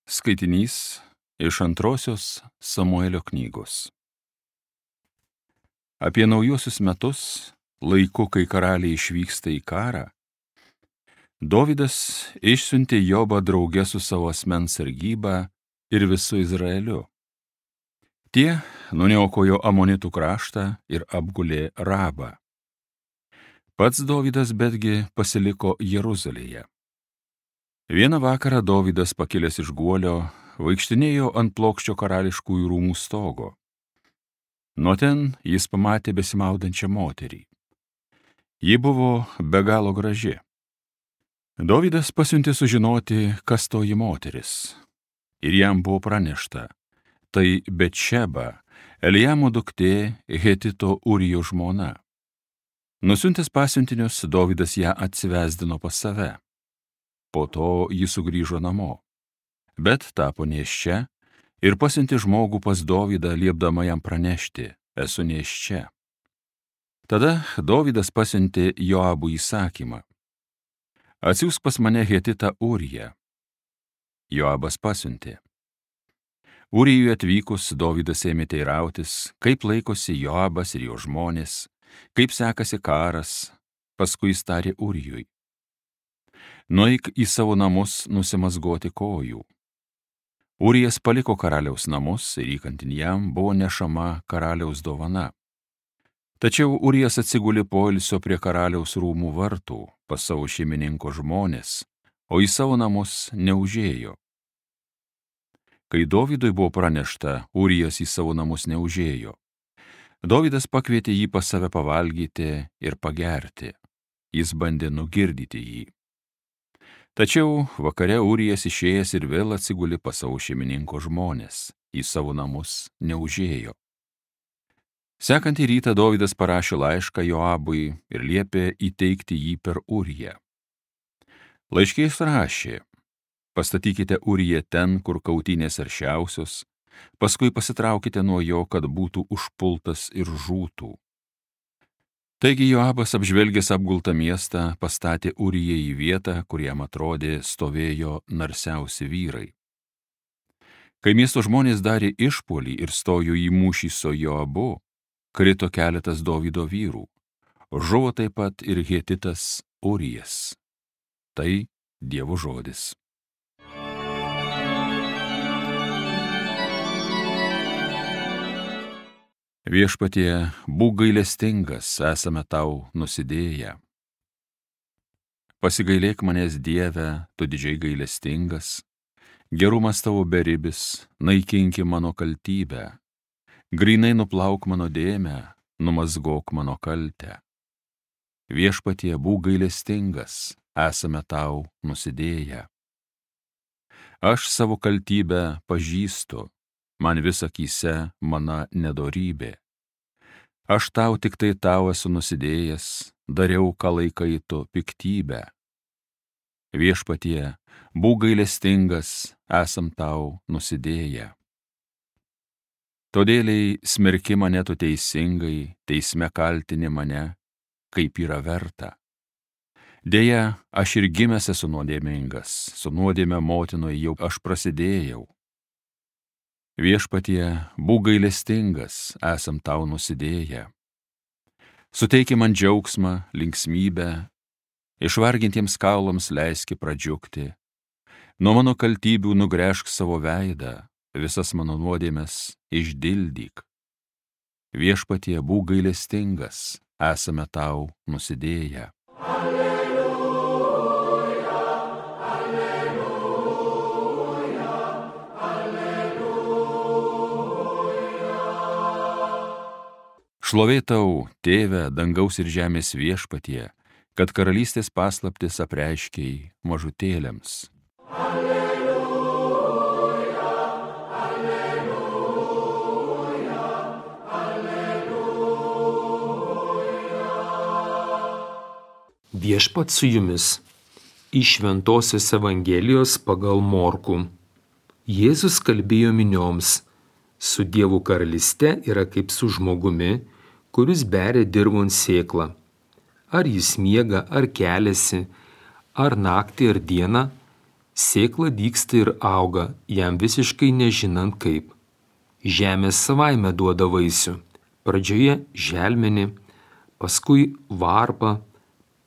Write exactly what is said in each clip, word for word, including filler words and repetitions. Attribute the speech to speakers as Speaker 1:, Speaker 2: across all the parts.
Speaker 1: Skaitinys iš antrosios Samuelio knygos. Apie naujuosius metus, laiku, kai karaliai išvyksta į karą, Dovydas išsiuntė Jobą drauge su savo asmens sargyba ir visu Izraeliu. Tie nuniokojo Amonitų kraštą ir apgulė Rabą. Pats Dovydas betgi pasiliko Jeruzalėje. Vieną vakarą Dovydas, pakilęs iš guolio, vaikštinėjo ant plokščio karališkųjų rūmų stogo. Nuo ten jis pamatė besimaudančią moterį. Ji buvo be galo graži. Dovydas pasiuntė sužinoti, kas toji moteris. Ir jam buvo pranešta, tai Betšeba, Eliamo duktė, Hetito Urijo žmona. Nusiuntęs pasiuntinius, Dovydas ją atsivesdino pas save. Po to jis sugrįžo namo, bet tapo nėščia ir pasiuntė žmogų pas Dovydą, liepdama jam pranešti, esu nėščia. Tada Dovydas pasiuntė Joabui įsakymą, atsiųsk pas mane Hetitą Uriją. Joabas pasiuntė. Urijui atvykus, Dovydas ėmė teirautis, kaip laikosi Joabas ir jo žmonės, kaip sekasi karas, paskui jis tarė Urijui, nueik į savo namus nusimazgoti kojų. Urijas paliko karaliaus namus ir įkantin jam buvo nešama karaliaus dovana. Tačiau Urijas atsigulė poilsio prie karaliaus rūmų vartų pas savo šeimininko žmonės, o į savo namus neužėjo. Kai Dovydui buvo pranešta, Urijas į savo namus neužėjo. Dovydas pakvietė jį pas save pavalgyti ir pagerti. Jis bandė nugirdyti jį. Tačiau vakare Urijas išėjęs ir vėl atsigulė pas savo šeimininko žmonės, į savo namus neužėjo. Sekantį rytą Dovydas parašė laišką Joabui ir liepė įteikti jį per Uriją. Laiške jis rašė, pastatykite Uriją ten, kur kautynės aršiausios, paskui pasitraukite nuo jo, kad būtų užpultas ir žūtų. Taigi Joabas, apžvelgęs apgultą miestą, pastatė Uriją į vietą, kur jam atrodė stovėjo narsiausi vyrai. Kai miesto žmonės darė išpuolį ir stojo į mūšį su Joabu, krito keletas Dovydo vyrų. Žuvo taip pat ir Hetitas Urijas. Tai Dievo žodis. Viešpatie, būk gailestingas, esame tau nusidėję. Pasigailėk manęs, Dieve, tu didžiai gailestingas, gerumas tavo beribis, naikinki mano kaltybę, grynai nuplauk mano dėmę, numazgok mano kaltę. Viešpatie, būk gailestingas, esame tau nusidėję. Aš savo kaltybę pažįstu, man vis akyse mana nedorybė. Aš tau tik tai tau esu nusidėjęs, dariau, ką laikai tu piktybę. Viešpatie, būk gailestingas, esam tau nusidėję. Todėliai smerki mane tu teisingai, teisme kaltini mane, kaip yra verta. Deja, aš ir gimęs esu nuodėmingas, su nuodėme motinoje jau aš prasidėjau. Viešpatie, būk gailestingas, esam tau nusidėję. Suteiki man džiaugsmą, linksmybę, išvargintiems kaulams leiski pradžiugti. Nuo mano kaltybių nugręžk savo veidą, visas mano nuodėmes išdildyk. Viešpatie, būk gailestingas, esame tau nusidėję. Šlovė tau, Tėve, dangaus ir žemės Viešpatie, kad karalystės paslaptis apreiškei mažutėliams. Alleluja, alleluja, alleluja.
Speaker 2: Viešpat su jumis. Iš Šventosios Evangelijos pagal Morkų. Jėzus kalbėjo minioms, su Dievo karalyste yra kaip su žmogumi, kuris beria dirvon sėklą. Ar jis miega, ar keliasi, ar naktį, ar dieną, Sėkla dygsta ir auga, jam visiškai nežinant kaip. Žemė savaime duoda vaisių. Pradžioje želmenį, paskui varpą,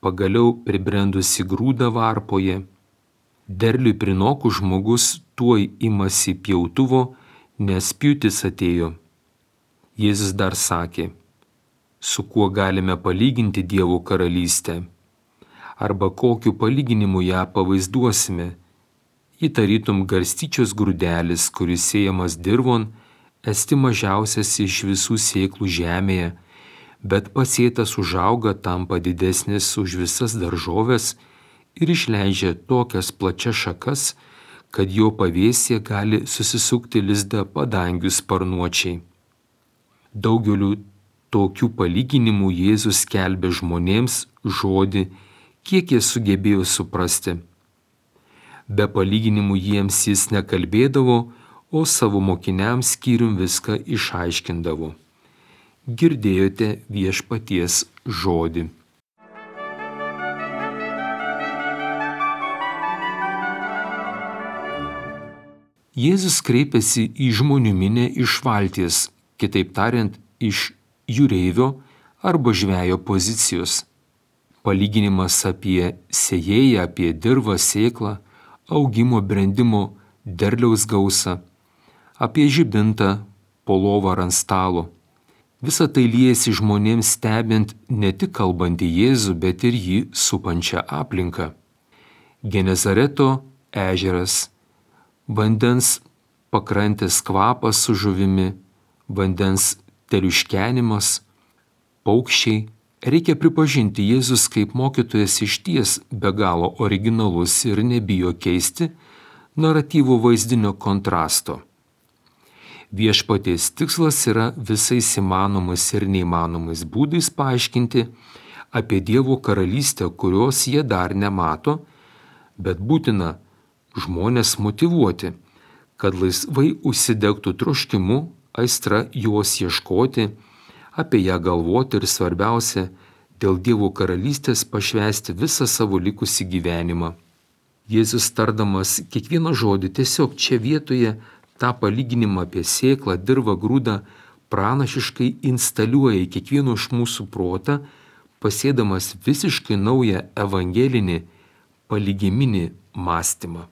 Speaker 2: pagaliau pribrendusi grūdą varpoje. Derliui prinokus žmogus tuoj imasi pjautuvo, nes pjūtis atėjo. Jėzus dar sakė, su kuo galime palyginti Dievo karalystę, arba kokiu palyginimu ją pavaizduosime. Ji tarytum garstyčios grūdelis, kuris sėjamas dirvon, esti mažiausias iš visų sėklų žemėje, bet pasėtas užauga, tampa didesnis už visas daržoves ir išleidžia tokias plačias šakas, kad jo pavėsyje gali susisukti lizdą padangių sparnuočiai. Daugeliu tokių palyginimų Jėzus skelbė žmonėms žodį, kiek jie sugebėjo suprasti. Be palyginimų jiems jis nekalbėdavo, o savo mokiniams skyrium viską išaiškindavo. Girdėjote Viešpaties žodį. Jėzus kreipėsi į žmonių minią iš valties, kitaip tariant, iš jūreivio arba žvejo pozicijos. Palyginimas apie sėjėją, apie dirvą, sėklą, augimo, brendimo, derliaus gausą, apie žibintą, po lovą ar ant stalo. Visa tai liejasi žmonėms stebint ne tik kalbantį Jėzų, bet ir jį supančią aplinką. Genezareto ežeras, vandens pakrantės kvapas su žuvimi, vandens teliuškenimas, paukščiai. Reikia pripažinti, Jėzus kaip mokytojas išties be galo originalus ir nebijo keisti naratyvų vaizdinio kontrasto. Viešpaties tikslas yra visais įmanomais ir neįmanomais būdais paaiškinti apie Dievo karalystę, kurios jie dar nemato, bet būtina žmonės motyvuoti, kad laisvai užsidegtų troškimu, aistra jos ieškoti, apie ją galvoti ir svarbiausia, dėl Dievo karalystės pašvęsti visą savo likusį gyvenimą. Jėzus tardamas kiekvieną žodį tiesiog čia vietoje tą palyginimą apie sėklą, dirvą, grūdą pranašiškai instaliuoja į kiekvieno iš mūsų protą, pasėdamas visiškai naują evangelinį palygiminį mąstymą.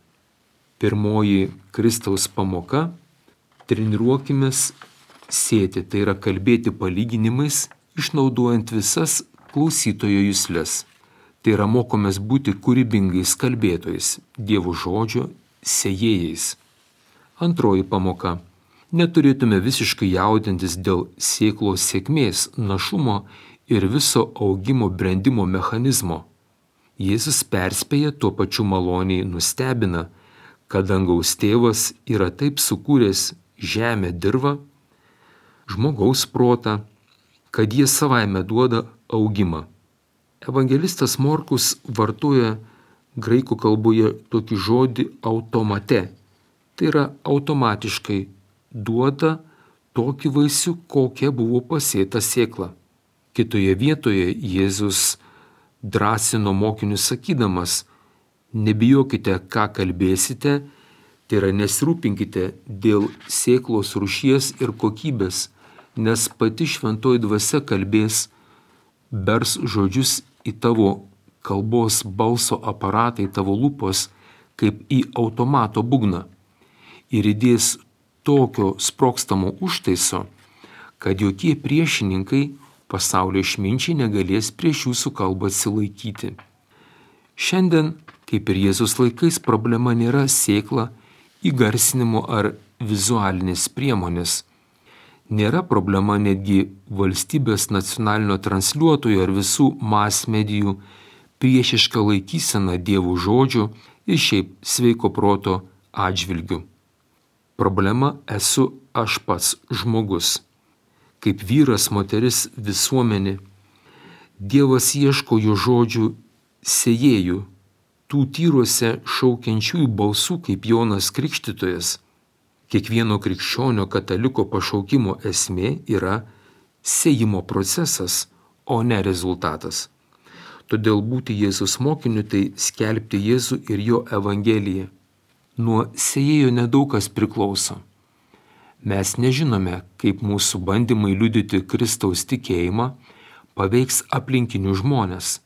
Speaker 2: Pirmoji Kristaus pamoka – treniruokimės sėti, tai yra kalbėti palyginimais, išnaudojant visas klausytojo juslės. Tai yra mokomės būti kūrybingais kalbėtojais, Dievo žodžio sėjėjais. Antroji pamoka. Neturėtume visiškai jaudintis dėl sėklos sėkmės, našumo ir viso augimo brendimo mechanizmo. Jėzus perspėja, tuo pačiu maloniai nustebina, kad dangaus tėvas yra taip sukūręs žemę, dirvą, žmogaus protą, kad jie savaime duoda augimą. Evangelistas Morkus vartoja graikų kalboje tokį žodį automate. Tai yra automatiškai duoda tokį vaisių, kokia buvo pasėta sėkla. Kitoje vietoje Jėzus drąsino mokinius sakydamas, nebijokite, ką kalbėsite, tai yra nesirūpinkite dėl sėklos rūšies ir kokybės, nes pati šventoji dvasia kalbės, bers žodžius į tavo kalbos balso aparatą, į tavo lūpos, kaip į automato būgną. Ir įdės tokio sprogstamo užtaiso, kad jokie priešininkai pasaulio išminčiai negalės prieš jūsų kalbą atsilaikyti. Šiandien, kaip ir Jėzus laikais, problema nėra sėkla, įgarsinimo ar vizualinės priemonės. Nėra problema netgi valstybės nacionalinio transliuotojo ar visų mas medijų priešiška laikysena Dievo žodžių ir šiaip sveiko proto atžvilgių. Problema esu aš pats žmogus. Kaip vyras, moteris, visuomenė. Dievas ieško jo žodžių sėjėjų, tų tyruose šaukiančiųjų balsų kaip Jonas Krikštytojas. Kiekvieno krikščionio kataliko pašaukimo esmė yra sėjimo procesas, o ne rezultatas. Todėl būti Jėzus mokiniu tai skelbti Jėzų ir jo evangeliją. Nuo sėjėjo nedaug kas priklauso. Mes nežinome, kaip mūsų bandymai liudyti Kristaus tikėjimą paveiks aplinkinių žmonės.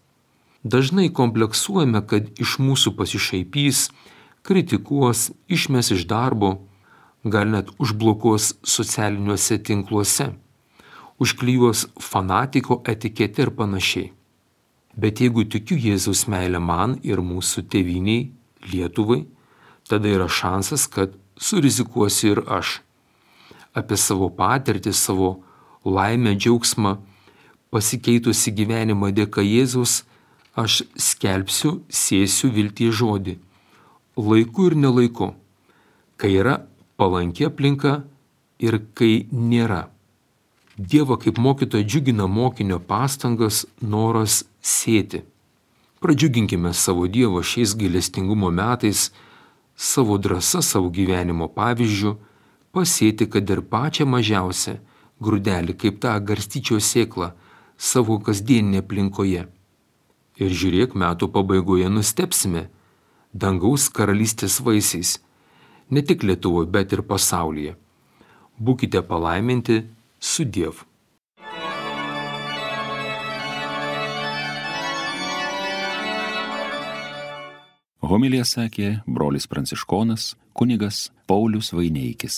Speaker 2: Dažnai kompleksuojame, kad iš mūsų pasišaipys, kritikuos, išmes iš darbo, gal net užblokuos socialiniuose tinkluose, užklijuos fanatiko etiketę ir panašiai. Bet jeigu tikiu Jėzaus meilę man ir mūsų tėvyniai, Lietuvai, tada yra šansas, kad surizikuosiu ir aš. Apie savo patirtį, savo laimę, džiaugsmą, pasikeitusi gyvenimą dėka Jėzaus, aš skelbsiu, sėsiu vilties žodį. Laiku ir nelaiku, kai yra palanki aplinka ir kai nėra. Dievą kaip mokytoją džiugina mokinio pastangas, noras sėti. Pradžiuginkime savo Dievą šiais gailestingumo metais, savo drąsa, savo gyvenimo pavyzdžių, pasėti, kad ir pačią mažiausią grūdelį, kaip tą garstyčios sėklą, savo kasdieninėje aplinkoje. Ir žiūrėk, metų pabaigoje nustebsime dangaus karalystės vaisiais, ne tik Lietuvoje, bet ir pasaulyje. Būkite palaiminti su Dievu.
Speaker 1: Homiliją sakė brolis pranciškonas kunigas Paulius Vaineikis.